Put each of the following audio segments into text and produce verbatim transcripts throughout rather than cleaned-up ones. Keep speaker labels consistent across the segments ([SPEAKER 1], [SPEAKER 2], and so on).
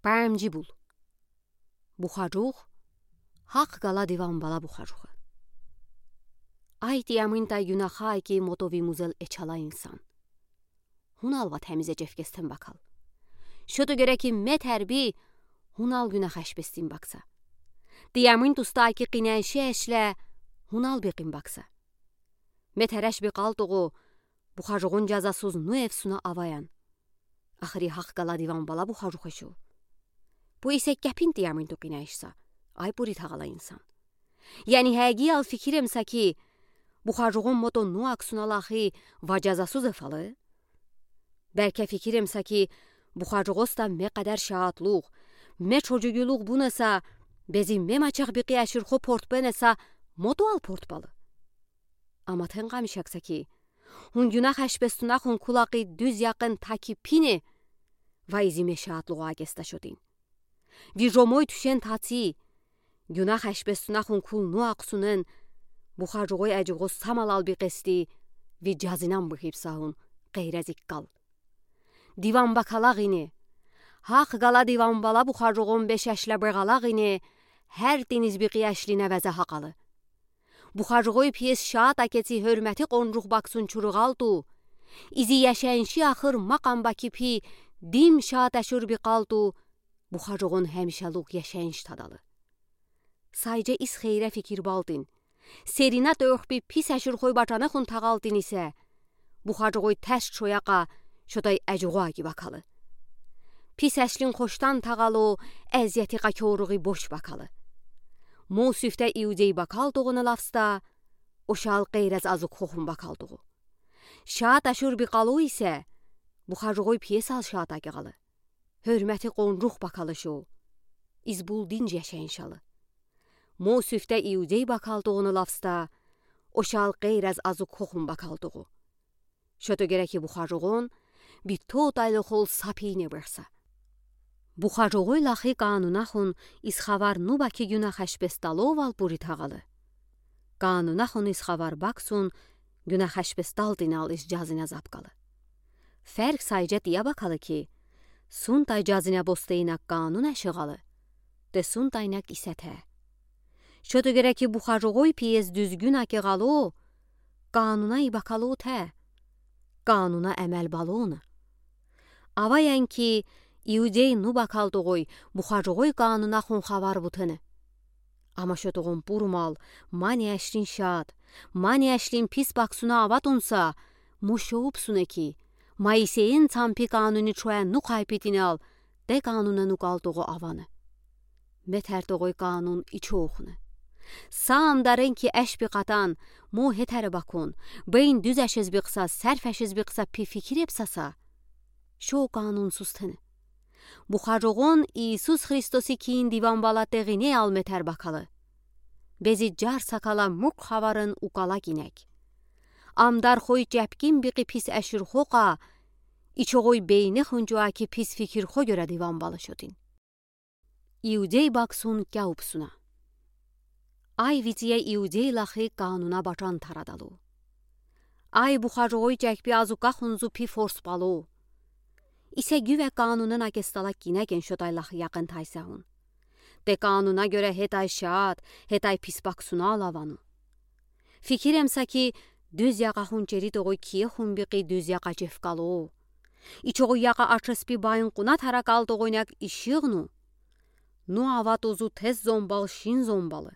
[SPEAKER 1] Պարամջի բուլ։ Բուխաջուղ, հաղ գալա դիվան բալա բուխաջուղը։ Այդ յամին տայ գյունախա այկի մոտովի մուզել էչալա ինսան։ Հունալվա թեմիզե ջևկեստեն բակալ։ Շոտը գերեքի մետ հերբի հունալ գյունախաշպեստին բակսա։ Դիամին տուստա այկի կինայշի էշլե հունալ բիqin բակսա։ Մետ հերաշ բիqal տուղու բուխաջուղուն ջազասուզ նու էվսունա ավայան։ Ախրի հաղ գալա դիվան բալա բուխաջուղեշու։ Բու իսե կեպին դիամին տու կինայշսա, այ պուրի թաղալա ինսան։ Յանի հայգի ալ ֆիքիրեմ սակի բուխաջուղուն մոտո նու ակսունալախի վաջազասուզ էֆալը։ Բերքե ֆիքիրեմ սակի բուխաջուղոստա մե կադար շաատլուղ, մե չոջուգյուլուղ բունեսա, բեզի մե մաչաղ բիqi աշիրխո պորտպենեսա մոտո ալ պորտպալը։ Ամա թենղա միշակսակի, հուն գյունախ աշպեստունախ հուն կուլակի դյուզ յակն թաքի պինե, վայզի մե շաատլուղ ագեստա շոտին։ Վիժոմոյ թուշեն թացի, գյունախ աշպեստունախ հուն կուլ նու ակսունեն, բուխաջուղոյ աջուղոս սամալալ բիqեստի, վի ջազինան բխիպսահուն, qeyrəzik qal. Divan bakalağine, haq qala divan bala buxarcuğun beş yaşla bırğalağine, hər deniz bir qiyəşlinə vəzə haqalı. Buxarcuğuy piyes şaat aketsi hörməti qonruq baksun çuruğaldu, izi yaşayınşı axır maqam baki pi, dim şaat əşur bir qaldu, buxarcuğun həmişəluq yaşayınç tadalı. Sayca is xeyrə fikir baldin, serinat öxbi pis əşur xoy bacanı xun tağaldin isə, buxarcuğuy təş çoyaqa, şoday əcuğa ki bakalı. Pis əşlin xoşdan tağalı, əziyyəti qakyoruğu boş bakalı. Musifdə iudey bakalduğunu lafsta, o şal qeyrəz azı qoxun bakaldığı. Şaat əşur bir qalı isə, buxarcuğuy piyes al şaat aqıqalı. Hörməti qonruq bakalı şo, izbul dinc yaşayınşalı. Musifdə iudey bakaldığını lafsta, o şal qeyrəz azı qoxun bakaldığı. Şöto gereki buxarcuğun, bir tot aylıqol sapiyini bırsa. Buxarcuğuy laxi qanunaxun isxavar nubaki günah əşbestalov al buri tağalı. Qanunaxun isxavar baksun, günah əşbestal dinal is cazinə zapqalı. Fərq sayca diya bakalı ki, suntay cazinə bosteynak qanun əşiğalı, de suntaynak isətə. Şöto gereki buxarcuğuy piyez düzgün akıqalı, qanuna ibakalı tə. Qanuna əməl balonu. Avayan ki, iudey nu bakaldığı buxarcuğuy qanuna xun xavar butını. Ama şötoğun burmal, mani əşlin şad, mani əşlin pis baksuna avatunsa, muşoğupsune ki, maiseyin çampi qanuni çoya nu qaypitin al, de qanuna nu qaldığı avanı. Metərdoğuy qanun içi oxunu. Sağım darın ki əşbi qatan, mu hetəri bakun, beyin düz əşiz biqsa, sərf əşiz biqsa pi fikir epsasa, şo qanunsuz tını. Buxarcuğun İsus Hristosi kiyin divan bala değine al metər bakalı. Bezi car sakala muk havarın uqala ginek. Amdar xoy cəpkin biqi pis əşir xoqa, içoğuy beyni xuncua ki pis fikir xo görə divan balı şodin. İudey baksun gəupsuna. Ay viziye iudey laxi qanuna bacan taradalı. Ay buxarcuğuy cəkbi azuqa xunzu pi fors balı. İsə güvə qanunun agestala ginəgən şoday laxi yaxın taysahun. De qanuna görə hetay şaat, hetay pis baksuna alavanu. Fikiremsa ki, düz yaqa xunceri doğuy kiye xunbiqi düz yaqa cefqalı. İçoğu yaqa açıspi bayın quna tarakal doğuynak işiğnu. Nu avat uzu tez zombal şin zombalı.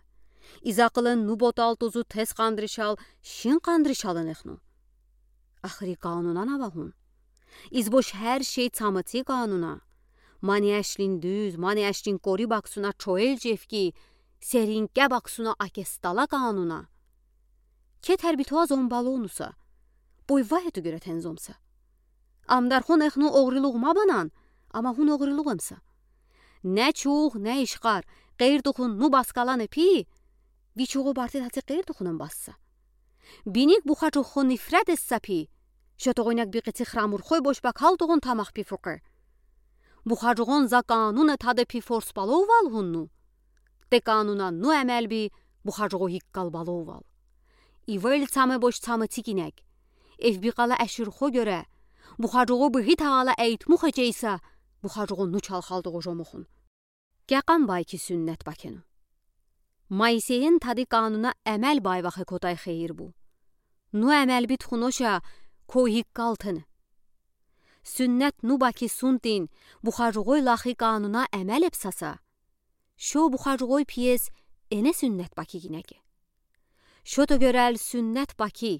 [SPEAKER 1] İzaqılın nu botal tuzu tez qandrişal şin qandrişalın exnu. Axri qanunan avahun. İzboş hər şey çamıti qanuna. Mani əşlin düz, mani əşlin qori baksuna çoel cefki, serinqə baksuna akestala qanuna. Ketər bitoa zombalı onusa, boy vahetu görə tenzomsa. Amdar xun exnu oğriluğma banan, ama hun oğriluğumsa. Nə çuğ, nə işqar, qeyrduxun nu baskalan epi, viçoğu bartid hatı qeyrduxunun bassa. Binik buxacuxun nifrət etsa pi, şötoğuynak biqiti xramur xoy boş bakalduğun tamaq pi fuqır. Buxacuğun za qanun tadı pi fors balov al hunnu. De qanuna nu əməl bi, buxacuğu hiqqal balov al. İvel çamı boş çamı tikinek. Ev biqala əşir xo görə, buxacuğu biqi tağala əyitmuq eceysa, Բուխաջուղուն նու չալխալդողո ժոմոխուն։ Կյական բայքի սünnet բաքենու։ Մայիսեին թադի կանունա əməl բայվախը կոտայ խեիր բու։ Նու əməl բիտ խունոշա քոհիկ կալթն։ Sünnet նու բաքի սունտին բուխաջուղոյ լախի կանունա əməl էպսասա։ Շո բուխաջուղոյ պիես էնե sünnet բաքի գինեկե։ Շոտը görəl sünnet բաքի,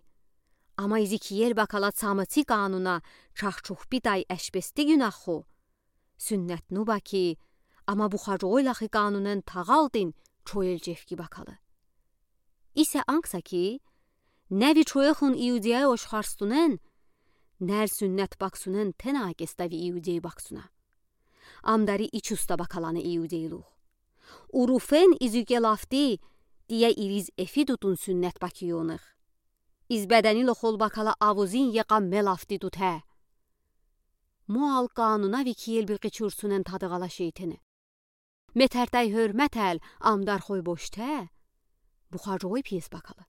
[SPEAKER 1] ama izikiyer bakala çamıçı kanuna çaxçuq bitay əşbesti günahxo. Sünnet nü baki, ama buxacoylaxı kanunun tağaldin çoyel cefki bakalı. İse anksa ki, nevi çoyexun iudiyay oşxarstunen, ner sünnet baksunen ten agestavi iudiyay baksuna. Amdari iç usta bakalanı iudiyluq. Urufen izüke lafti, diye iriz efi tutun sünnet bakiyonıq. İzbədəni loxol bakala avuzin yeqam melafti tut hə. Mual qanuna vikiyel bir qiçursunen tadıqala şeytini. Metərtay hörmətəl amdar xoy boştə. Buxarcoy piyes bakalı.